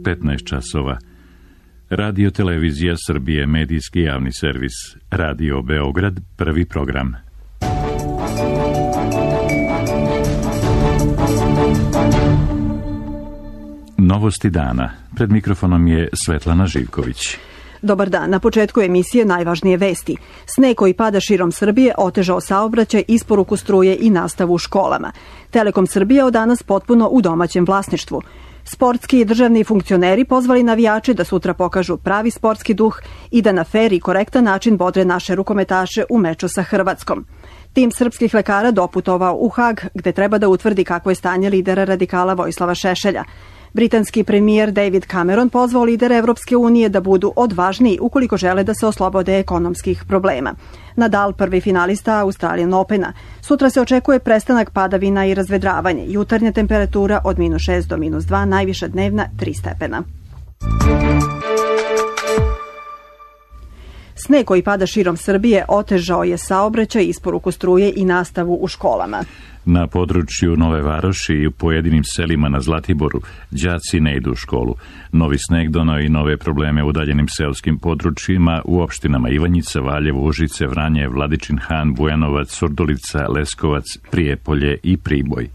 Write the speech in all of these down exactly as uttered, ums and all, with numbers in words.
petnaest časova. Radio Televizija Srbije, medijski javni servis. Radio Beograd, prvi program. Novosti dana. Pred mikrofonom je Svetlana Živković. Dobar dan. Na početku emisije najvažnije vesti. Sneg koji pada širom Srbije otežao saobraćaj, isporuku struje i nastavu u školama. Telekom Srbije od danas potpuno u domaćem vlasništvu. Sportski i državni funkcioneri pozvali navijače da sutra pokažu pravi sportski duh i da na fer i korektan način bodre naše rukometaše u meču sa Hrvatskom. Tim srpskih lekara doputovao u Hag, gde treba da utvrdi kakvo je stanje lidera radikala Vojislava Šešelja. Britanski premijer David Cameron pozvao lidere Evropske unije da budu odvažniji ukoliko žele da se oslobode ekonomskih problema. Nadal, prvi finalista Australian Opena. Sutra se očekuje prestanak padavina i razvedravanje. Jutarnja temperatura od minus šest do minus dva, najviša dnevna tri stepena. Sneg koji pada širom Srbije otežao je saobraćaj, isporuku struje i nastavu u školama. Na području Nove Varoši i u pojedinim selima na Zlatiboru đaci ne idu u školu. Novi sneg doneo i nove probleme u udaljenim seoskim područjima u opštinama Ivanjica, Valjevo, Užice, Vranje, Vladičin Han, Bujanovac, Surdulica, Leskovac, Prijepolje i Priboj.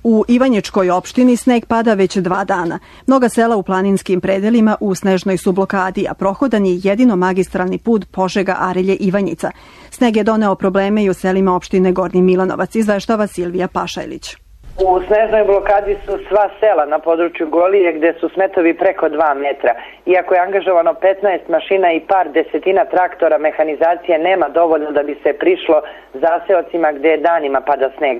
U Ivanjičkoj opštini sneg pada već dva dana. Mnoga sela u planinskim predelima u snežnoj su blokadi, a prohodan je jedino magistralni put Požega-Arilje-Ivanjica. Sneg je doneo probleme i u selima opštine Gornji Milanovac, izveštava Silvija Pašajlić. U snežnoj blokadi su sva sela na području Golije gde su smetovi preko dva metra. Iako je angažovano petnaest mašina i par desetina traktora, mehanizacije nema dovoljno da bi se prišlo zaseocima gde danima pada sneg.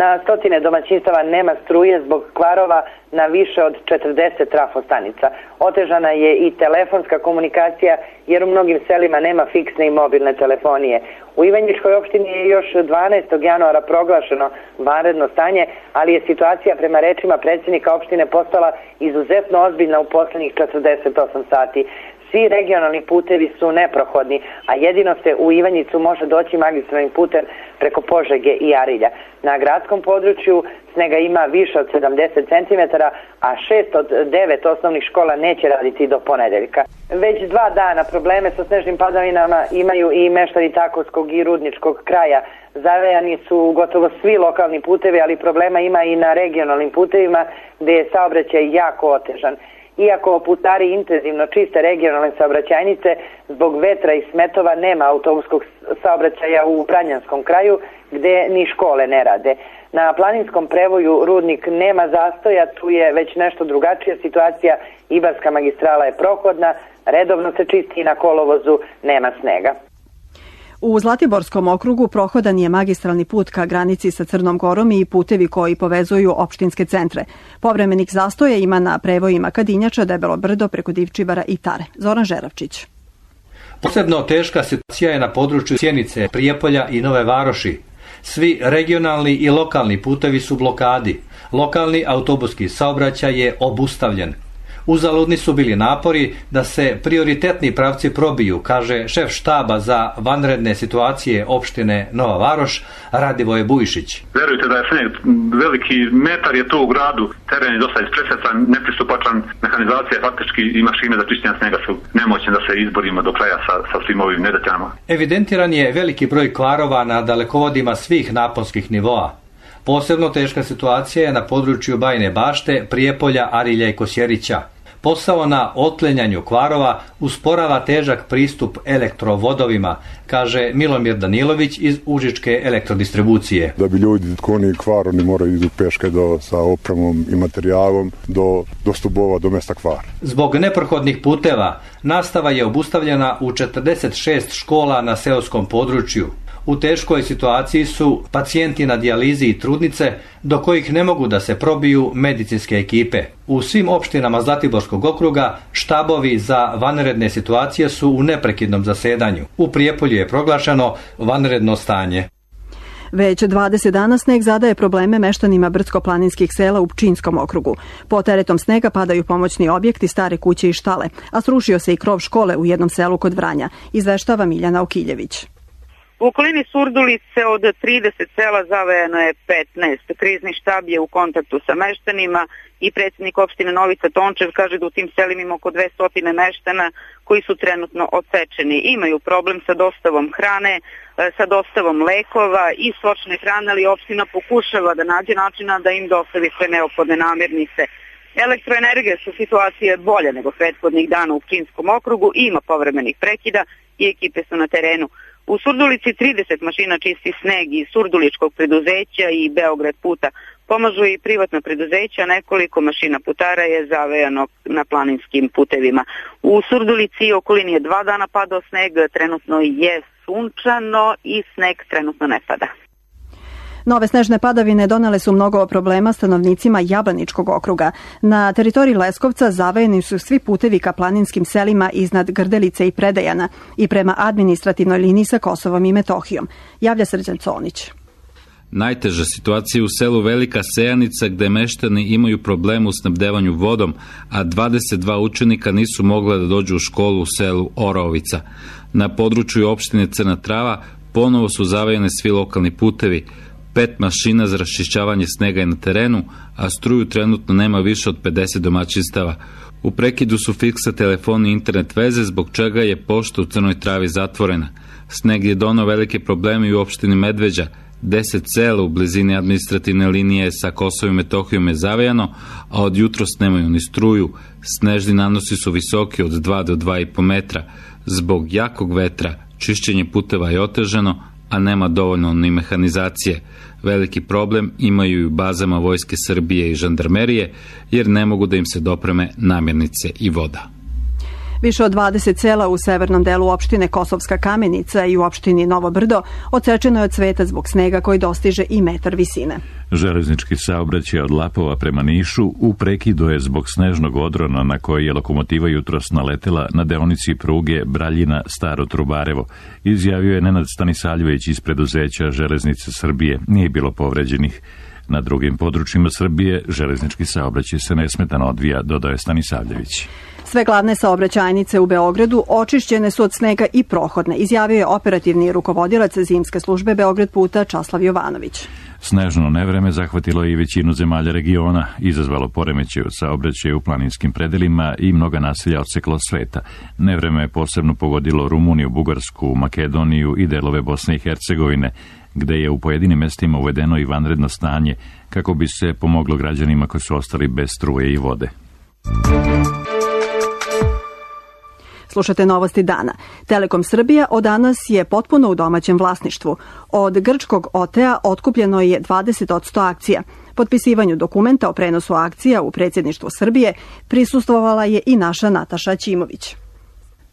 Na stotine domaćinstava nema struje zbog kvarova na više od četrdeset trafostanica. Otežana je i telefonska komunikacija jer u mnogim selima nema fiksne i mobilne telefonije. U Ivanjičkoj opštini je još dvanaestog januara proglašeno vanredno stanje, ali je situacija prema rečima predsjednika opštine postala izuzetno ozbiljna u poslednjih četrdeset osam sati. Svi regionalni putevi su neprohodni, a jedino se u Ivanjicu može doći magistralnim putem preko Požege i Arilja. Na gradskom području snega ima više od sedamdeset centimetara, a šest od devet osnovnih škola neće raditi do ponedeljka. Već dva dana probleme sa snežnim padavinama imaju i meštani Takovskog i Rudničkog kraja. Zavejani su gotovo svi lokalni putevi, ali problema ima i na regionalnim putevima gde je saobraćaj jako otežan. Iako putari intenzivno čiste regionalne saobraćajnice, zbog vetra i smetova nema autobuskog saobraćaja u Vranjanskom kraju, gde ni škole ne rade. Na planinskom prevoju Rudnik nema zastoja, tu je već nešto drugačija situacija, Ibarska magistrala je prohodna, redovno se čisti i na kolovozu nema snega. U Zlatiborskom okrugu prohodan je magistralni put ka granici sa Crnom Gorom i putevi koji povezuju opštinske centre. Povremenih zastoja ima na prevojima Kadinjača, Debelo Brdo preko Divčibara i Tare. Zoran Žeravčić. Posebno teška situacija je na području Sjenice, Prijepolja i Nove Varoši. Svi regionalni i lokalni putevi su blokadi. Lokalni autobuski saobraćaj je obustavljen. Uzaludni su bili napori da se prioritetni pravci probiju, kaže šef štaba za vanredne situacije opštine Nova Varoš, Radivoje Bujšić. Verujte da je sneg veliki metar je tu u gradu, teren je dosta ispresecan, nepristupačan, mehanizacija faktički i mašine za čišćenje snega su nemoćne da se izborimo do kraja sa, sa svim ovim nedaćama. Evidentiran je veliki broj kvarova na dalekovodima svih naponskih nivoa. Posebno teška situacija je na području Bajine Bašte, Prijepolja, Arilja i Kosjerića. Posao na otklanjanju kvarova usporava težak pristup elektrovodovima, kaže Milomir Danilović iz Užičke elektrodistribucije. Da bi ljudi koni kvar, oni moraju idu peške do, sa opremom i materijalom do, do stubova, do mesta kvara. Zbog neprohodnih puteva nastava je obustavljena u četrdeset šest škola na seoskom području. U teškoj situaciji su pacijenti na dijalizi i trudnice, do kojih ne mogu da se probiju medicinske ekipe. U svim opštinama Zlatiborskog okruga štabovi za vanredne situacije su u neprekidnom zasedanju. U Prijepolju je proglašeno vanredno stanje. Već dvadeset dana sneg zadaje probleme meštanima brdsko-planinskih sela u Pčinjskom okrugu. Po teretom snega padaju pomoćni objekti, stare kuće i štale, a srušio se i krov škole u jednom selu kod Vranja, izveštava Miljana Okiljević. U okolini Surdulice od trideset sela zavejano je petnaest. Krizni štab je u kontaktu sa meštanima i predsjednik opštine Novica Tončev kaže da u tim selima ima oko dvesta meštana koji su trenutno odsečeni. Imaju problem sa dostavom hrane, sa dostavom lekova i stočne hrane, ali opština pokušava da nađe načina da im dostavi sve neophodne namirnice. Elektroenergija su situacije bolje nego prethodnih dana u Pčinjskom okrugu, ima povremenih prekida i ekipe su na terenu. U Surdulici trideset mašina čisti sneg iz Surduličkog preduzeća i Beograd puta. Pomažu i privatna preduzeća, nekoliko mašina putara je zavejano na planinskim putevima. U Surdulici i okolini je dva dana padao sneg, trenutno je sunčano i sneg trenutno ne pada. Nove snežne padavine donele su mnogo problema stanovnicima Jablaničkog okruga. Na teritoriji Leskovca zavejeni su svi putevi ka planinskim selima iznad Grdelice i Predejana i prema administrativnoj liniji sa Kosovom i Metohijom. Javlja Srđan Conić. Najteža situacija u selu Velika Sejanica gde meštani imaju problem u snabdevanju vodom, a dvadeset dva učenika nisu mogla da dođu u školu u selu Orovica. Na području opštine Crna Trava ponovo su zavejene svi lokalni putevi. Pet mašina za raščišćavanje snega je na terenu, a struju trenutno nema više od pedeset domaćinstava. U prekidu su fiksa telefoni i internet veze, zbog čega je pošta u Crnoj Travi zatvorena. Sneg je donao velike probleme i u opštini Medveđa. Deset sela u blizini administrativne linije sa Kosovom i Metohijom je zavejano, a od jutros nemaju ni struju. Snežni nanosi su visoki od dva do dva i po metra. Zbog jakog vetra čišćenje puteva je otežano, a nema dovoljno ni mehanizacije. Veliki problem imaju i u bazama Vojske Srbije i žandarmerije, jer ne mogu da im se dopreme namirnice i voda. Više od dvadeset sela u severnom delu opštine Kosovska Kamenica i u opštini Novo Brdo odsečeno je od cveta zbog snega koji dostiže i metar visine. Železnički saobraćaj od Lapova prema Nišu u prekidu je zbog snežnog odrona na koji je lokomotiva jutros naletela na deonici pruge Braljina-Staro Trubarevo. Izjavio je Nenad Stanisaljević iz preduzeća Železnice Srbije. Nije bilo povređenih. Na drugim područjima Srbije železnički saobraćaj se nesmetano odvija, dodaje Stanisavljević. Sve glavne saobraćajnice u Beogradu očišćene su od snega i prohodne, izjavio je operativni rukovodilac zimske službe Beograd puta Časlav Jovanović. Snežno nevreme zahvatilo i većinu zemalja regiona, izazvalo poremećaj u saobraćaju u planinskim predelima i mnoga naselja odseklo sveta. Nevreme je posebno pogodilo Rumuniju, Bugarsku, Makedoniju i delove Bosne i Hercegovine, gde je u pojedinim mestima uvedeno i vanredno stanje kako bi se pomoglo građanima koji su ostali bez struje i vode. Slušate novosti dana. Telekom Srbija od danas je potpuno u domaćem vlasništvu. Od grčkog O T A otkupljeno je dvadeset posto akcija. Potpisivanju dokumenta o prenosu akcija u predsjedništvu Srbije prisustvovala je i naša Nataša Ćimović.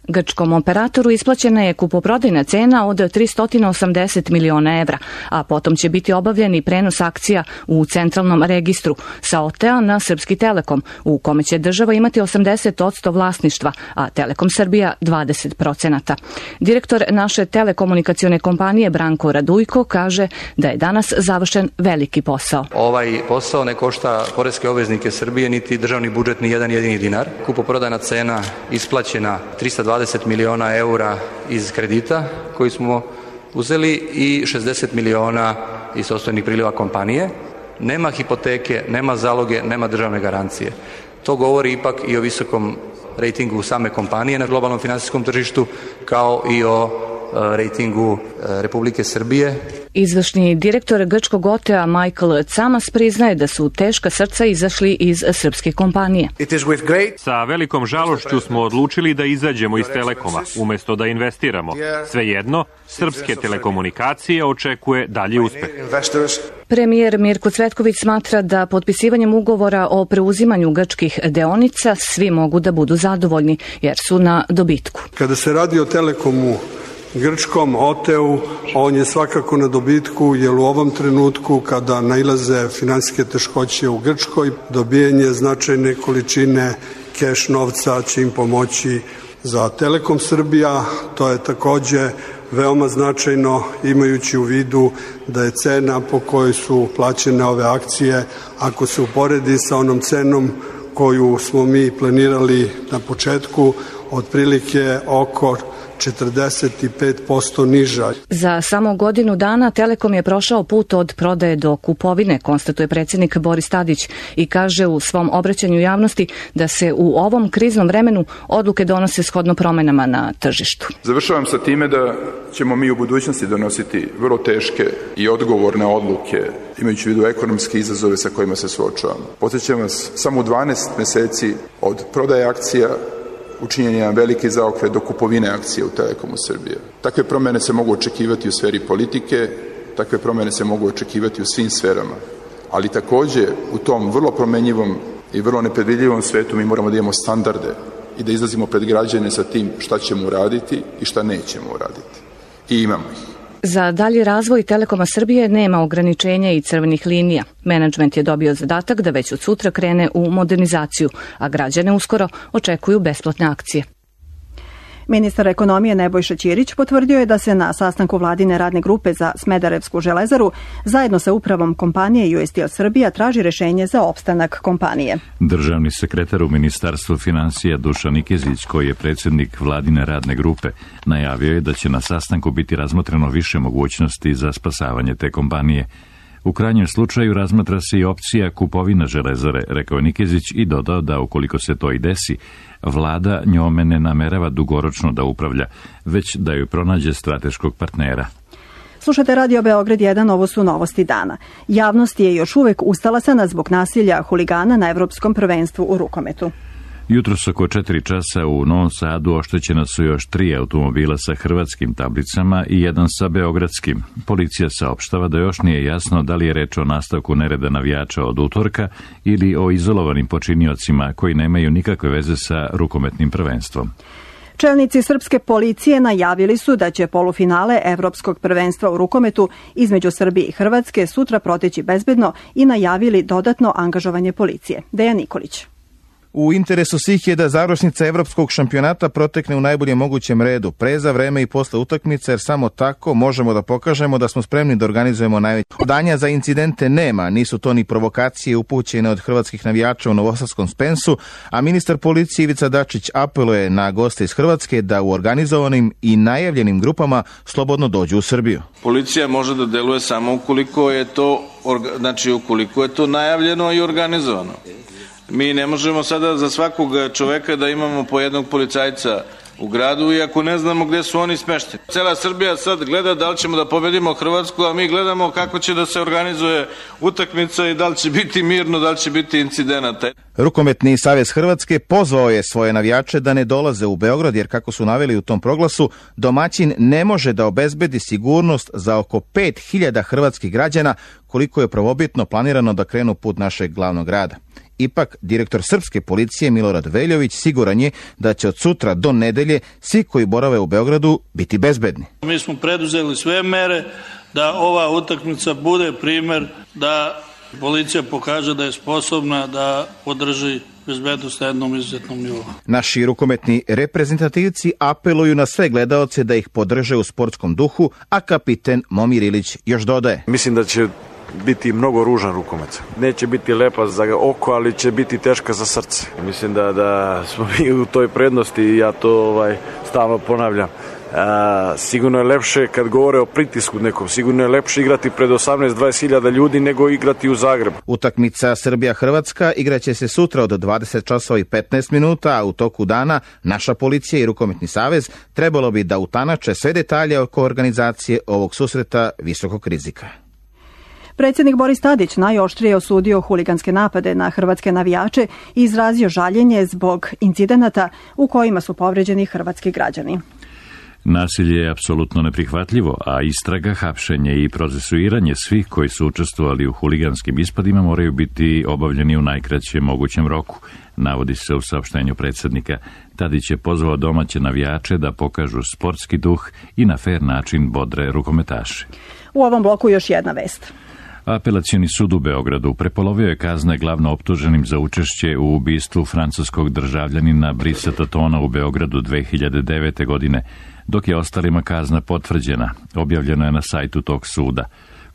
Grčkom operatoru isplaćena je kupoprodajna cena od tristo osamdeset miliona evra, a potom će biti obavljen i prenos akcija u centralnom registru sa O T A na Srpski Telekom, u kome će država imati osamdeset posto vlasništva, a Telekom Srbija dvadeset posto. Direktor naše telekomunikacione kompanije Branko Radujko kaže da je danas završen veliki posao. Ovaj posao ne košta poreske obveznike Srbije niti državni budžet ni jedan jedini dinar. Kupoprodajna cena isplaćena tristo dvadeset miliona eura iz kredita koji smo uzeli i šezdeset miliona iz sopstvenih priliva kompanije. Nema hipoteke, nema zaloge, nema državne garancije. To govori ipak i o visokom rejtingu same kompanije na globalnom finansijskom tržištu, kao i o rejtingu Republike Srbije. Izvršni direktor grčkog O T A Michael Camas priznaje da su teška srca izašli iz srpske kompanije. Sa velikom žalošću smo odlučili da izađemo iz Telekoma, umesto da investiramo. Svejedno, srpske telekomunikacije očekuje dalji uspeh. Premijer Mirko Cvetković smatra da potpisivanjem ugovora o preuzimanju grčkih deonica svi mogu da budu zadovoljni, jer su na dobitku. Kada se radi o Telekomu grčkom O T A-u, on je svakako na dobitku, jer u ovom trenutku kada nailaze finansijske teškoće u Grčkoj, dobijanje značajne količine keš novca će im pomoći za Telekom Srbija. To je takođe veoma značajno, imajući u vidu da je cena po kojoj su plaćene ove akcije, ako se uporedi sa onom cenom koju smo mi planirali na početku, otprilike oko četrdeset pet posto niža. Za samo godinu dana Telekom je prošao put od prodaje do kupovine, konstatuje predsjednik Boris Tadić i kaže u svom obraćanju javnosti da se u ovom kriznom vremenu odluke donose shodno promenama na tržištu. Završavam sa time da ćemo mi u budućnosti donositi vrlo teške i odgovorne odluke, imajući u vidu ekonomske izazove sa kojima se suočavamo. Podsjećam vas, samo u dvanaest meseci od prodaje akcija učinjen je jedan veliki zaokret do kupovine akcije u Telekomu Srbije. Takve promjene se mogu očekivati u sferi politike, takve promjene se mogu očekivati u svim sferama, ali također u tom vrlo promenjivom i vrlo nepredvidljivom svetu mi moramo da imamo standarde i da izlazimo pred građane sa tim šta ćemo uraditi i šta nećemo uraditi. I imamo ih. Za dalji razvoj Telekoma Srbije nema ograničenja i crvenih linija. Menadžment je dobio zadatak da već od sutra krene u modernizaciju, a građane uskoro očekuju besplatne akcije. Ministar ekonomije Nebojša Ćirić potvrdio je da se na sastanku vladine radne grupe za Smederevsku železaru zajedno sa upravom kompanije U S Steel Srbija traži rešenje za opstanak kompanije. Državni sekretar u Ministarstvu financija Dušan Nikezić, koji je predsjednik vladine radne grupe, najavio je da će na sastanku biti razmotreno više mogućnosti za spasavanje te kompanije. U krajnjem slučaju razmatra se i opcija kupovina železare, rekao Nikezić i dodao da ukoliko se to i desi, vlada njome ne namerava dugoročno da upravlja, već da ju pronađe strateškog partnera. Slušate Radio Beograd jedan, ovo su novosti dana. Javnost je još uvek ustalasana zbog nasilja huligana na Evropskom prvenstvu u rukometu. Jutros oko četiri časa u Novom Sadu oštećena su još tri automobila sa hrvatskim tablicama i jedan sa beogradskim. Policija saopštava da još nije jasno da li je reč o nastavku nereda navijača od utorka ili o izolovanim počiniocima koji nemaju nikakve veze sa rukometnim prvenstvom. Čelnici srpske policije najavili su da će polufinale Evropskog prvenstva u rukometu između Srbije i Hrvatske sutra proteći bezbedno i najavili dodatno angažovanje policije. Dejan Nikolić. U interesu svih je da završnica evropskog šampionata protekne u najboljem mogućem redu, pre, za vreme i posle utakmice, jer samo tako možemo da pokažemo da smo spremni da organizujemo najveće. Danja za incidente nema, nisu to ni provokacije upućene od hrvatskih navijača u Novosadskom Spensu, a ministar policije Ivica Dačić apeluje na goste iz Hrvatske da u organizovanim i najavljenim grupama slobodno dođu u Srbiju. Policija može da deluje samo ukoliko je to, znači ukoliko je to najavljeno i organizovano. Mi ne možemo sada za svakog čoveka da imamo po jednog policajca u gradu, iako ne znamo gde su oni smešteni. Cela Srbija sad gleda da li ćemo da pobedimo Hrvatsku, a mi gledamo kako će da se organizuje utakmica i da li će biti mirno, da li će biti incidenata. Rukometni savez Hrvatske pozvao je svoje navijače da ne dolaze u Beograd, jer kako su naveli u tom proglasu, domaćin ne može da obezbedi sigurnost za oko pet hiljada hrvatskih građana, koliko je prvobitno planirano da krenu put našeg glavnog grada. Ipak, direktor srpske policije Milorad Veljović siguran je da će od sutra do nedelje svi koji borave u Beogradu biti bezbedni. Mi smo preduzeli sve mere da ova utakmica bude primer da policija pokaže da je sposobna da podrži bezbednost na jednom izuzetnom nivou. Naši rukometni reprezentativci apeluju na sve gledaoce da ih podrže u sportskom duhu, a kapiten Momir Ilić još dodaje. Mislim da će biti mnogo ružan rukomet. Neće biti lepa za oko, ali će biti teška za srce. Mislim da, da smo mi u toj prednosti i ja to ovaj, stalno ponavljam. A, sigurno je lepše kad govore o pritisku nekom, sigurno je lepše igrati pred osamnaest do dvadeset hiljada ljudi nego igrati u Zagrebu. Utakmica Srbija-Hrvatska igraće se sutra od dvadeset časova i petnaest minuta, a u toku dana naša policija i Rukometni savez trebalo bi da utanače sve detalje oko organizacije ovog susreta visokog rizika. Predsjednik Boris Tadić najoštrije osudio huliganske napade na hrvatske navijače i izrazio žaljenje zbog incidenata u kojima su povređeni hrvatski građani. Nasilje je apsolutno neprihvatljivo, a istraga, hapšenje i procesuiranje svih koji su učestvovali u huliganskim ispadima moraju biti obavljeni u najkraćem mogućem roku, navodi se u saopštenju predsjednika. Tadić je pozvao domaće navijače da pokažu sportski duh i na fer način bodre rukometaše. U ovom bloku još jedna vest. Apelacioni sud u Beogradu prepolovio je kazne glavno optuženim za učešće u ubistvu francuskog državljanina Brisa Tatona u Beogradu dve hiljade devete. godine, dok je ostalima kazna potvrđena, objavljeno je na sajtu tog suda.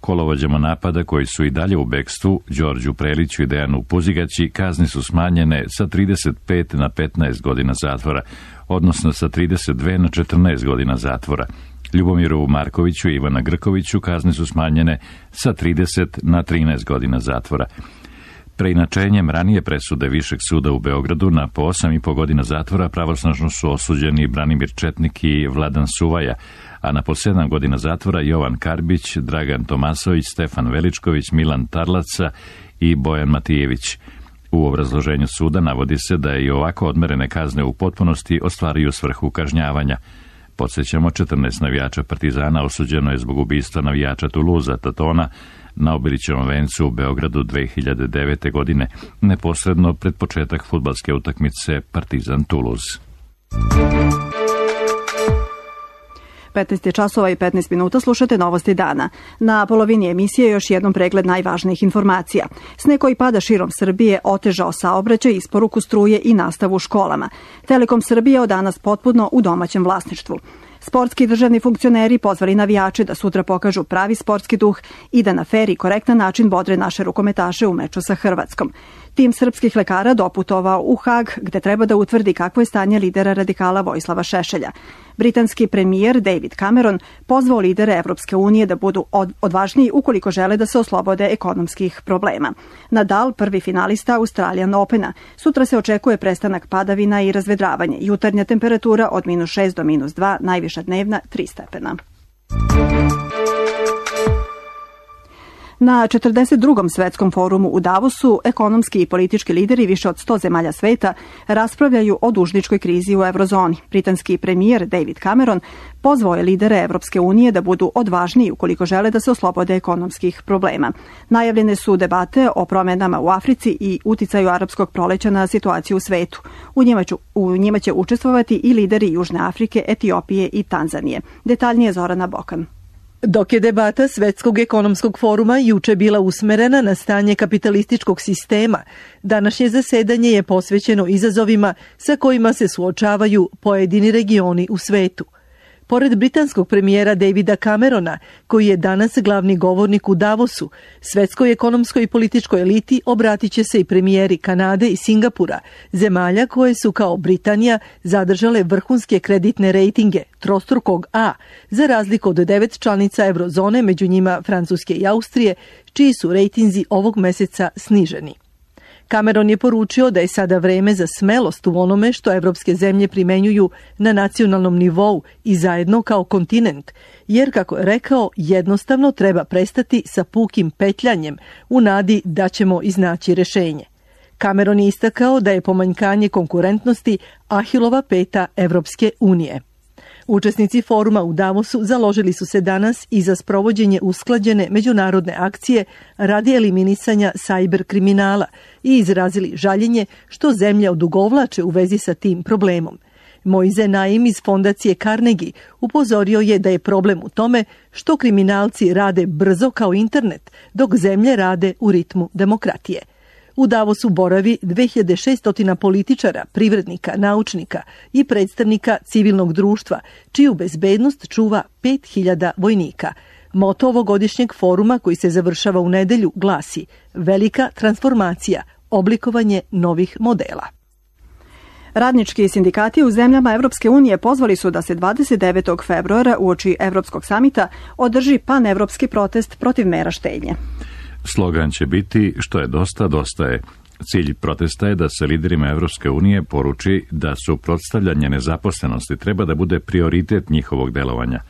Kolovođama napada koji su i dalje u bekstvu, Đorđu Preliću i Dejanu Puzigaći, kazne su smanjene sa trideset pet na petnaest godina zatvora, odnosno sa trideset dve na četrnaest godina zatvora. Ljubomiru Markoviću i Ivana Grkoviću kazne su smanjene sa trideset na trinaest godina zatvora. Preinačenjem ranije presude Višeg suda u Beogradu na po osam i po godina zatvora pravosnažno su osuđeni Branimir Četnik i Vladan Suvaja, a na po sedam godina zatvora Jovan Karbić, Dragan Tomasović, Stefan Veličković, Milan Tarlaca i Bojan Matijević. U obrazloženju suda navodi se da i ovako odmerene kazne u potpunosti ostvaruju svrhu kažnjavanja. Podsjećamo, četrnaest navijača Partizana osuđeno je zbog ubistva navijača Tuluza Tatona na Obilićevom vencu u Beogradu dve hiljade devete. godine, neposredno pred početak fudbalske utakmice Partizan-Tuluz. petnaest časova i petnaest minuta, slušate Novosti dana. Na polovini emisije još jednom pregled najvažnijih informacija. Sneg koji pada širom Srbije otežao saobraćaj, isporuku struje i nastavu u školama. Telekom Srbije od danas potpuno u domaćem vlasništvu. Sportski državni funkcioneri pozvali navijače da sutra pokažu pravi sportski duh i da na fer i korektan način bodre naše rukometaše u meču sa Hrvatskom. Tim srpskih lekara doputovao u Hag, gde treba da utvrdi kakvo je stanje lidera radikala Vojislava Šešelja. Britanski premijer David Cameron pozvao lidere Evropske unije da budu odvažniji ukoliko žele da se oslobode ekonomskih problema. Nadal, prvi finalista Australian Opena. Sutra se očekuje prestanak padavina i razvedravanje. Jutarnja temperatura od minus šest do minus dva, najviša dnevna tri stepena. Na četrdeset drugom svetskom forumu u Davosu ekonomski i politički lideri više od sto zemalja sveta raspravljaju o dužničkoj krizi u eurozoni. Britanski premijer David Cameron pozvao je lidere Evropske unije da budu odvažniji ukoliko žele da se oslobode ekonomskih problema. Najavljene su debate o promenama u Africi i uticaju arapskog proleća na situaciju u svetu. U njima, ću, u njima će učestvovati i lideri Južne Afrike, Etiopije i Tanzanije. Detaljnije Zorana Bokan. Dok je debata Svetskog ekonomskog foruma juče bila usmerena na stanje kapitalističkog sistema, današnje zasedanje je posvećeno izazovima sa kojima se suočavaju pojedini regioni u svetu. Pored britanskog premijera Davida Camerona, koji je danas glavni govornik u Davosu, svetskoj ekonomskoj i političkoj eliti obratit će se i premijeri Kanade i Singapura, zemalja koje su kao Britanija zadržale vrhunske kreditne rejtinge trostrukog A, za razliku od devet članica eurozone, među njima Francuske i Austrije, čiji su rejtinzi ovog meseca sniženi. Cameron je poručio da je sada vreme za smelost u onome što evropske zemlje primenjuju na nacionalnom nivou i zajedno kao kontinent, jer, kako je rekao, jednostavno treba prestati sa pukim petljanjem u nadi da ćemo iznaći rešenje. Cameron je istakao da je pomanjkanje konkurentnosti Ahilova peta Evropske unije. Učesnici foruma u Davosu založili su se danas i za sprovođenje usklađene međunarodne akcije radi eliminisanja sajber kriminala i izrazili žaljenje što zemlje odugovlače u vezi sa tim problemom. Moize Naim iz fondacije Carnegie upozorio je da je problem u tome što kriminalci rade brzo kao internet, dok zemlje rade u ritmu demokratije. U Davosu boravi dve hiljade šesto političara, privrednika, naučnika i predstavnika civilnog društva, čiju bezbednost čuva pet hiljada vojnika. Moto ovogodišnjeg foruma, koji se završava u nedelju, glasi: velika transformacija, oblikovanje novih modela. Radnički sindikati u zemljama Evropske unije pozvali su da se dvadeset devetog februara uoči Evropskog samita održi panevropski protest protiv mera štednje. Slogan će biti što je dosta, dosta je. Cilj protesta je da se liderima Evropske unije poruči da suprotstavljanje nezaposlenosti treba da bude prioritet njihovog delovanja.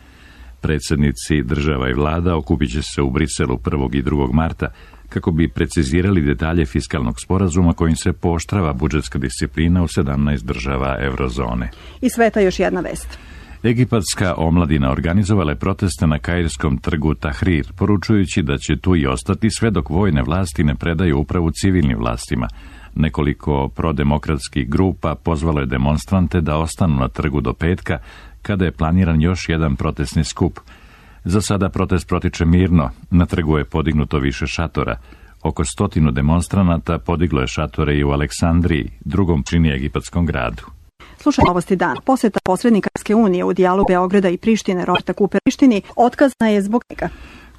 Predsjednici država i vlada okupit će se u Briselu prvog i drugog marta kako bi precizirali detalje fiskalnog sporazuma kojim se pooštrava budžetska disciplina u sedamnaest država eurozone. I sveta još jedna vest. Egipatska omladina organizovala je proteste na kairskom trgu Tahrir, poručujući da će tu i ostati sve dok vojne vlasti ne predaju upravu civilnim vlastima. Nekoliko prodemokratskih grupa pozvalo je demonstrante da ostanu na trgu do petka, kada je planiran još jedan protestni skup. Za sada protest protiče mirno, na trgu je podignuto više šatora. Oko stotinu demonstranata podiglo je šatore i u Aleksandriji, drugom čini egipatskom gradu. Slušaj Novosti dan. Poseta posrednika Evropske unije u dijalogu Beograda i Prištine Roberta Kupera Prištini otkazana je zbog njega.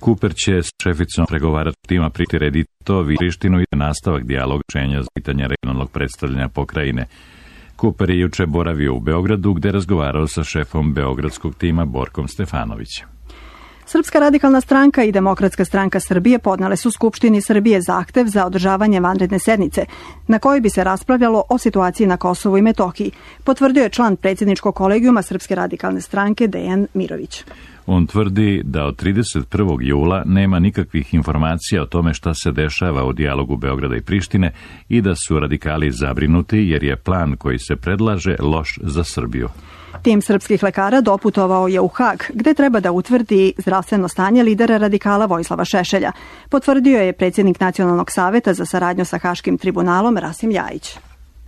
Cooper će s šeficom pregovaračkog tima prirediti Prištinu i nastavak dijaloga rješenja za pitanje regionalnog predstavljanja pokrajine. Cooper je juče boravio u Beogradu gdje razgovarao sa šefom beogradskog tima Borkom Stefanovićem. Srpska radikalna stranka i Demokratska stranka Srbije podnele su Skupštini Srbije zahtev za održavanje vanredne sednice, na kojoj bi se raspravljalo o situaciji na Kosovu i Metohiji, potvrdio je član predsjedničkog kolegijuma Srpske radikalne stranke Dejan Mirović. On tvrdi da od trideset prvog jula nema nikakvih informacija o tome šta se dešava u dijalogu Beograda i Prištine i da su radikali zabrinuti jer je plan koji se predlaže loš za Srbiju. Tim srpskih lekara doputovao je u Hag, gde treba da utvrdi zdravstveno stanje lidera radikala Vojislava Šešelja, potvrdio je predsjednik Nacionalnog saveta za saradnju sa Haškim tribunalom Rasim Ljajić.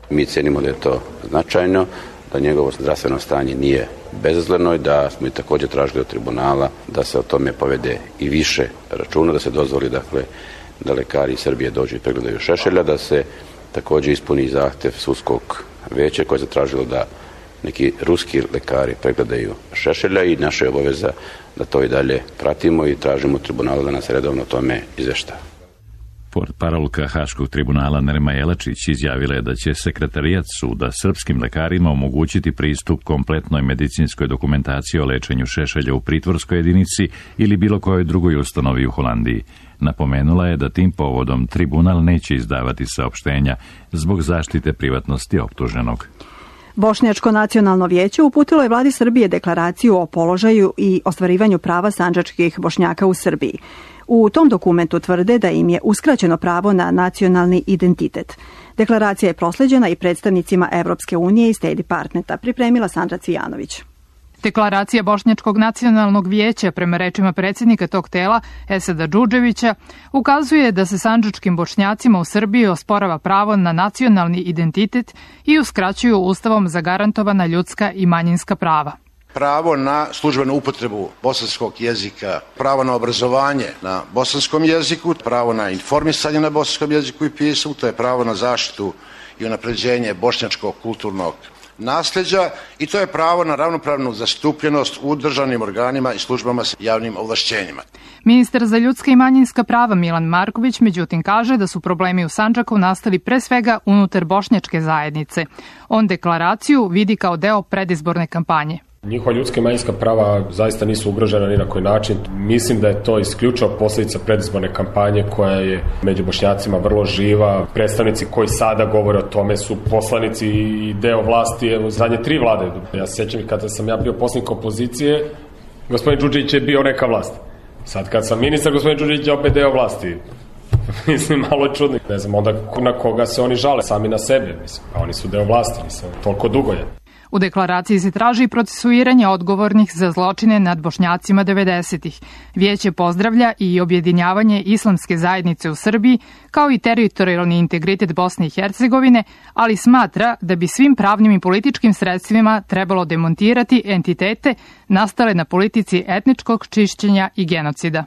Mi cenimo da je to značajno, da njegovo zdravstveno stanje nije bezazleno i da smo i također tražili od tribunala da se o tome povede i više računa, da se dozvoli dakle da lekari iz Srbije dođu i pregledaju Šešelja, da se također ispuni zahtev sudskog veća koje je zatražilo da neki ruski lekari pregledaju Šešelja i naša je obaveza da to i dalje pratimo i tražimo tribunalu da nas redovno o tome izvešta. Portparolka Haškog tribunala Nerma Jelačić izjavila je da će sekretarijat suda srpskim lekarima omogućiti pristup kompletnoj medicinskoj dokumentaciji o lečenju Šešelja u pritvorskoj jedinici ili bilo kojoj drugoj ustanovi u Holandiji. Napomenula je da tim povodom tribunal neće izdavati saopštenja zbog zaštite privatnosti optuženog. Bošnjačko nacionalno vijeće uputilo je vladi Srbije deklaraciju o položaju i ostvarivanju prava sandžačkih Bošnjaka u Srbiji. U tom dokumentu tvrde da im je uskraćeno pravo na nacionalni identitet. Deklaracija je prosleđena i predstavnicima Evropske unije i State Departmenta, pripremila Sandra Cijanović. Deklaracija Bošnjačkog nacionalnog vijeća, prema rečima predsjednika tog tela, Esada Džudževića, ukazuje da se sandžačkim Bošnjacima u Srbiji osporava pravo na nacionalni identitet i uskraćuju ustavom zagarantovana ljudska i manjinska prava. Pravo na službenu upotrebu bosanskog jezika, pravo na obrazovanje na bosanskom jeziku, pravo na informisanje na bosanskom jeziku i pismu, to je pravo na zaštitu i unapređenje bošnjačkog kulturnog nasljeđa i to je pravo na ravnopravnu zastupljenost u državnim organima i službama s javnim ovlašćenjima. Ministar za ljudska i manjinska prava Milan Marković međutim kaže da su problemi u Sandžaku nastali pre svega unutar bošnjačke zajednice. On deklaraciju vidi kao deo predizborne kampanje. Njihova ljudska i manjinska prava zaista nisu ugrožena ni na koji način. Mislim da je to isključivo posljedica predizborne kampanje koja je među Bošnjacima vrlo živa. Predstavnici koji sada govore o tome su poslanici i deo vlasti u zadnje tri vlade. Ja se sjećam kada sam ja bio poslanik opozicije, gospodin Đurđević je bio neka vlast. Sad kad sam ministar, gospodin Đurđević je opet deo vlasti. Mislim, malo je čudno. Ne znam onda na koga se oni žale, sami na sebe. Mislim, a oni su deo vlasti, nisam toliko dugo je. U deklaraciji se traži procesuiranje odgovornih za zločine nad Bošnjacima devedesetih. Vijeće pozdravlja i objedinjavanje islamske zajednice u Srbiji, kao i teritorijalni integritet Bosne i Hercegovine, ali smatra da bi svim pravnim i političkim sredstvima trebalo demontirati entitete nastale na politici etničkog čišćenja i genocida.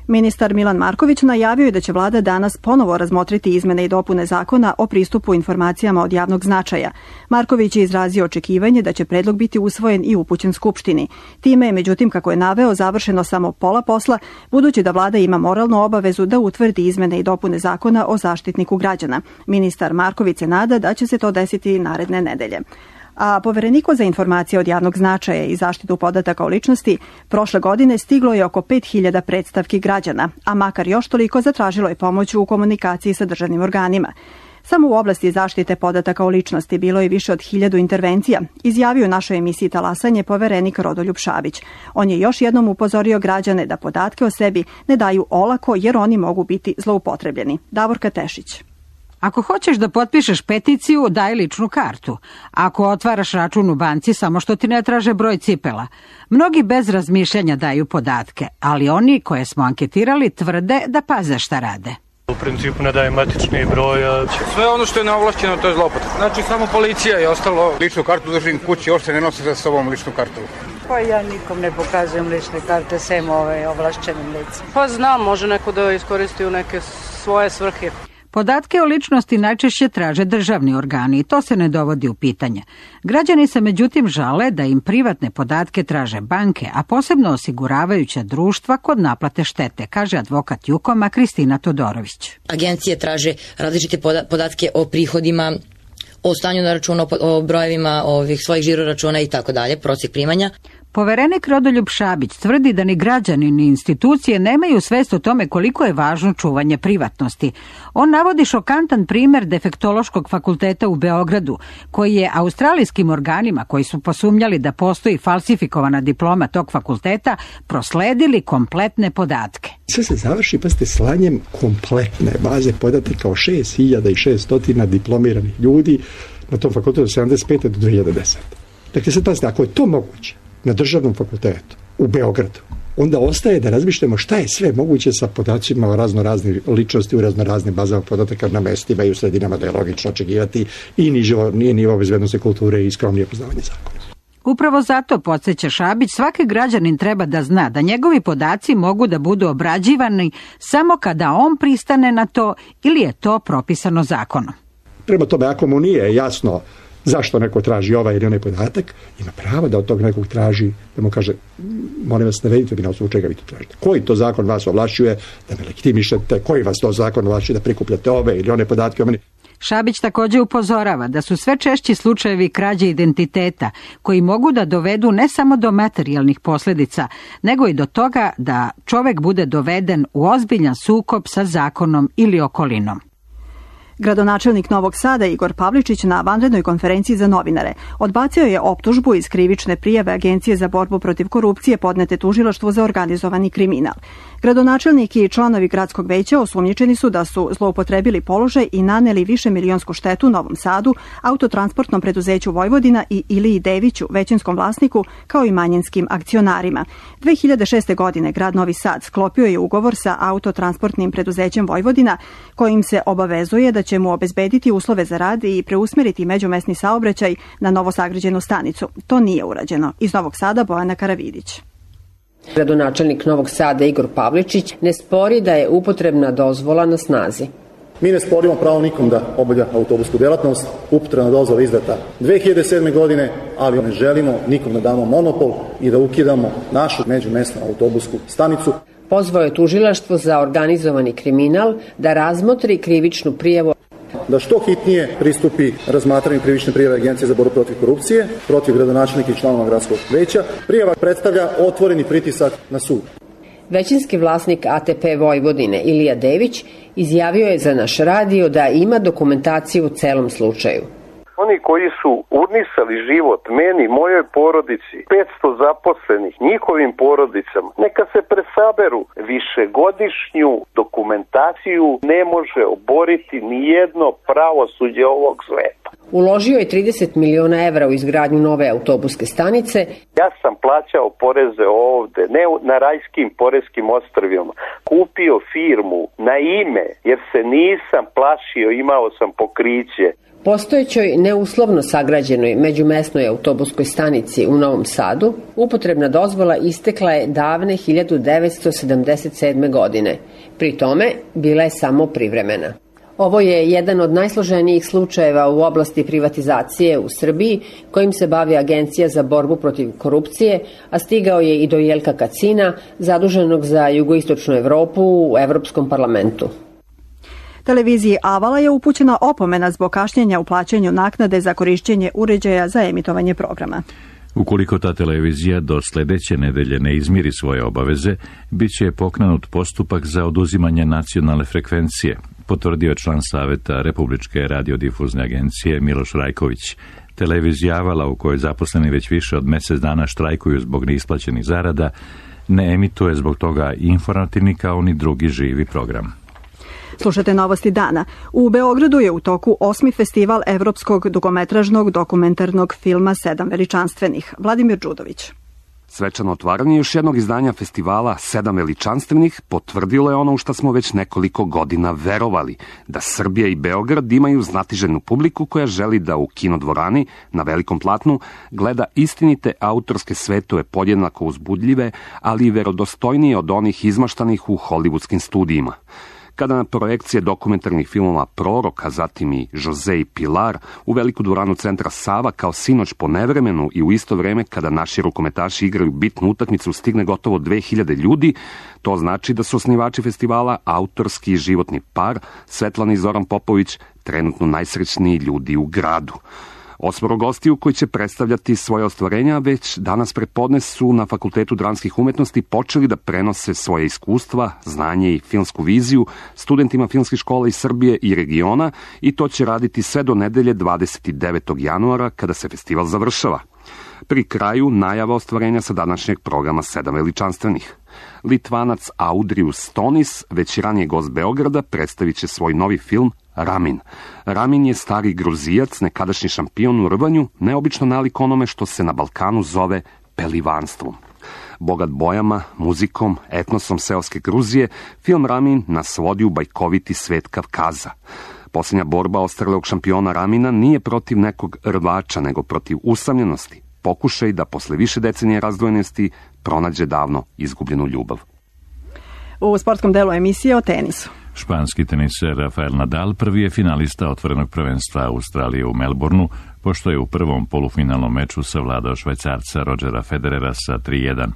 Ministar Milan Marković najavio je da će vlada danas ponovo razmotriti izmene i dopune zakona o pristupu informacijama od javnog značaja. Marković je izrazio očekivanje da će predlog biti usvojen i upućen Skupštini. Time je, međutim, kako je naveo, završeno samo pola posla, budući da vlada ima moralnu obavezu da utvrdi izmene i dopune zakona o zaštitniku građana. Ministar Marković se nada da će se to desiti naredne nedelje. A Povereniku za informacije od javnog značaja i zaštitu podataka o ličnosti prošle godine stiglo je oko pet hiljada predstavki građana, a makar još toliko zatražilo je pomoć u komunikaciji sa državnim organima. Samo u oblasti zaštite podataka o ličnosti bilo je više od hiljadu intervencija, izjavio našoj emisiji Talasanje poverenik Rodoljub Šabić. On je još jednom upozorio građane da podatke o sebi ne daju olako jer oni mogu biti zloupotrebljeni. Davorka Tešić. Ako hoćeš da potpišeš peticiju, daj ličnu kartu. Ako otvaraš račun u banci, samo što ti ne traže broj cipela. Mnogi bez razmišljanja daju podatke, ali oni koje smo anketirali tvrde da paze šta rade. U principu ne daje matični broj. A... Sve ono što je neovlašćeno, to je zloupotreba. Znači samo policija i ostalo. Ličnu kartu držim kući, još se ne nosi za sobom ličnu kartu. Pa ja nikom ne pokazujem lične karte, sem ove ovlašćenim licima. Pa znam, može neko da iskoristi u neke svoje svrhe. Podatke o ličnosti najčešće traže državni organi i to se ne dovodi u pitanje. Građani se međutim žale da im privatne podatke traže banke, a posebno osiguravajuća društva kod naplate štete, kaže advokat Jukoma Kristina Todorović. Agencije traže različite podatke o prihodima, o stanju na računu, o brojevima ovih svojih žiro računa i tako dalje, prosjek primanja. Poverenik Rodoljub Šabić tvrdi da ni građani ni institucije nemaju svest o tome koliko je važno čuvanje privatnosti. On navodi šokantan primer Defektološkog fakulteta u Beogradu, koji je australijskim organima koji su posumnjali da postoji falsifikovana diploma tog fakulteta prosledili kompletne podatke. Sve se završi, pa ste slanjem kompletne baze podataka o šest hiljada šesto diplomiranih ljudi na tom fakultetu od sedamdeset pete do dve hiljade desete. Dakle, sad pazite, ako je to moguće na državnom fakultetu u Beogradu, onda ostaje da razmišljamo šta je sve moguće sa podacima o raznoraznim ličnosti u raznoraznim bazama podataka na mestima i u sredinama, da je logično očekivati i nižo, nije nivo bezbednosti kulture i skromnije poznavanje zakona. Upravo zato, podsjeća Šabić, svaki građanin treba da zna da njegovi podaci mogu da budu obrađivani samo kada on pristane na to ili je to propisano zakonom. Prema tome, ako mu nije jasno zašto neko traži ovaj ili onaj podatak, ima pravo da od tog nekog traži, da mu kaže, molim vas, navedite mi na osnovu čega vi to tražite. Koji to zakon vas ovlašćuje da me legitimišete, koji vas to zakon ovlašćuje da prikupljate ove ili one podatke o meni. Šabić također upozorava da su sve češći slučajevi krađe identiteta koji mogu da dovedu ne samo do materijalnih posljedica, nego i do toga da čovek bude doveden u ozbiljan sukob sa zakonom ili okolinom. Gradonačelnik Novog Sada Igor Pavličić na vanrednoj konferenciji za novinare odbacio je optužbu iz krivične prijave Agencije za borbu protiv korupcije podnete tužilaštvu za organizovani kriminal. Gradonačelnik i članovi gradskog veća osumnjičeni su da su zloupotrebili položaj i naneli višemilionsku štetu Novom Sadu, Autotransportnom preduzeću Vojvodina i Iliji Deviću, većinskom vlasniku, kao i manjinskim akcionarima. dve hiljade šeste. godine grad Novi Sad sklopio je ugovor sa Autotransportnim preduzećem Vojvodina, kojim se obavezuje da će mu obezbediti uslove za rad i preusmeriti međumesni saobraćaj na novosagrađenu stanicu. To nije urađeno. Iz Novog Sada Bojana Karavidić. Gradonačelnik Novog Sada Igor Pavličić ne spori da je upotrebna dozvola na snazi. Mi ne sporimo pravo nikom da obavlja autobusku delatnost, upotrebna dozvola izdata dve hiljade sedme. godine, ali ne želimo nikom da damo monopol i da ukidamo našu međumesnu autobusku stanicu. Pozvao je tužilaštvo za organizovani kriminal da razmotri krivičnu prijavu. Da što hitnije pristupi razmatranju krivične prijave Agencije za borbu protiv korupcije, protiv gradonačelnika i članova gradskog veća. Prijava predstavlja otvoreni pritisak na sud. Većinski vlasnik A T P Vojvodine Ilija Dević izjavio je za naš radio da ima dokumentaciju u celom slučaju. Oni koji su urnisali život meni, mojoj porodici, petsto zaposlenih, njihovim porodicama, neka se presaberu. Višegodišnju dokumentaciju ne može oboriti nijedno pravosuđe ovog sveta. Uložio je trideset miliona evra u izgradnju nove autobuske stanice. Ja sam plaćao poreze ovde, ne na rajskim poreskim ostrvima. Kupio firmu na ime, jer se nisam plašio, imao sam pokriće. Postojećoj neuslovno sagrađenoj međumesnoj autobuskoj stanici u Novom Sadu upotrebna dozvola istekla je davne hiljadu devetsto sedamdeset sedme. godine. Pri tome bila je samo privremena. Ovo je jedan od najsloženijih slučajeva u oblasti privatizacije u Srbiji kojim se bavi Agencija za borbu protiv korupcije, a stigao je i do Jelka Kacina, zaduženog za jugoistočnu Evropu u Evropskom parlamentu. Televiziji Avala je upućena opomena zbog kašnjenja u plaćanju naknade za korišćenje uređaja za emitovanje programa. Ukoliko ta televizija do sljedeće nedelje ne izmiri svoje obaveze, bit će pokrenut postupak za oduzimanje nacionalne frekvencije, potvrdio je član Saveta Republičke radiodifuzne agencije Miloš Rajković. Televizija Avala, u kojoj zaposleni već više od mjesec dana štrajkuju zbog neisplaćenih zarada, ne emituje zbog toga informativni kao ni drugi živi program. Slušate novosti dana. U Beogradu je u toku osmi festival evropskog dugometražnog dokumentarnog filma Sedam veličanstvenih. Vladimir Đudović. Svečano otvaranje još jednog izdanja festivala Sedam veličanstvenih potvrdilo je ono u što smo već nekoliko godina verovali, da Srbija i Beograd imaju znatiželjnu publiku koja želi da u kinodvorani, na velikom platnu, gleda istinite autorske svetove podjednako uzbudljive, ali i verodostojnije od onih izmaštanih u hollywoodskim studijima. kada na projekcije dokumentarnih filmova Prorok, a zatim i Jose i Pilar u veliku dvoranu centra Sava kao sinoć po nevremenu i u isto vreme kada naši rukometaši igraju bitnu utakmicu stigne gotovo dve hiljade ljudi, to znači da su osnivači festivala autorski i životni par Svetlana i Zoran Popović trenutno najsrećniji ljudi u gradu. Osmoro gostiju koji će predstavljati svoje ostvarenja već danas prepodne su na Fakultetu dramskih umetnosti počeli da prenose svoje iskustva, znanje i filmsku viziju studentima filmskih škola iz Srbije i regiona i to će raditi sve do nedelje dvadeset devetog januara kada se festival završava. Pri kraju najava ostvarenja sa današnjeg programa Sedam veličanstvenih. Litvanac Audrius Stonis, već ranije gost Beograda, predstavit će svoj novi film Ramin. Ramin je stari Gruzijac, nekadašnji šampion u rvanju, neobično nalik onome što se na Balkanu zove pelivanstvom. Bogat bojama, muzikom, etnosom seoske Gruzije, film Ramin nas vodi u bajkoviti svet Kavkaza. Posljednja borba ostarelog šampiona Ramina nije protiv nekog rvača, nego protiv usamljenosti. Pokušaj da posle više decenije razdvojenosti pronađe davno izgubljenu ljubav. U sportskom delu emisije o tenisu. Španski teniser Rafael Nadal prvi je finalista otvorenog prvenstva Australije u Melbourneu, pošto je u prvom polufinalnom meču savladao Švajcarca Rodgera Federera sa tri jedan.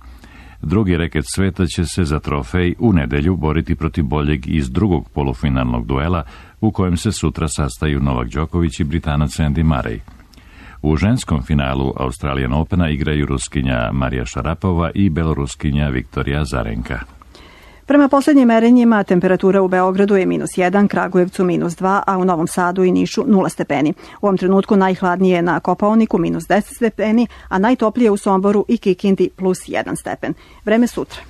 Drugi reket sveta će se za trofej u nedelju boriti protiv boljeg iz drugog polufinalnog duela, u kojem se sutra sastaju Novak Đoković i Britanac Andy Murray. U ženskom finalu Australian Opena igraju Ruskinja Marija Šarapova i Beloruskinja Viktorija Zarenka. Prema posljednjim merenjima temperatura u Beogradu je minus jedan, Kragujevcu minus dva, a u Novom Sadu i Nišu nula stepeni. U ovom trenutku najhladnije je na Kopaoniku minus deset stepeni, a najtoplije u Somboru i Kikindi plus jedan stepen. Vreme sutra.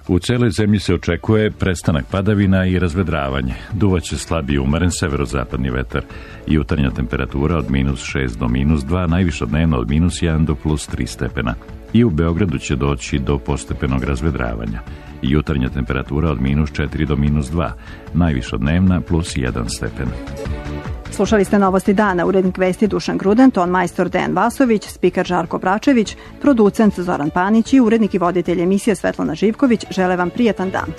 U celoj zemlji se očekuje prestanak padavina i razvedravanje. Duvaće slab i umeren severozapadni vetar. Jutarnja temperatura od minus šest do minus dva, najviša dnevno od minus jedan do plus tri stepena. I u Beogradu će doći do postepenog razvedravanja. Jutarnja temperatura od minus četiri do minus dva, najviša dnevna plus jedan stepen. Slušali ste Novosti dana, urednik vesti Dušan Gruden, ton majstor Dejan Vasović, spiker Žarko Bračević, producent Zoran Panić i urednik i voditelj emisije Svetlana Živković žele vam prijetan dan.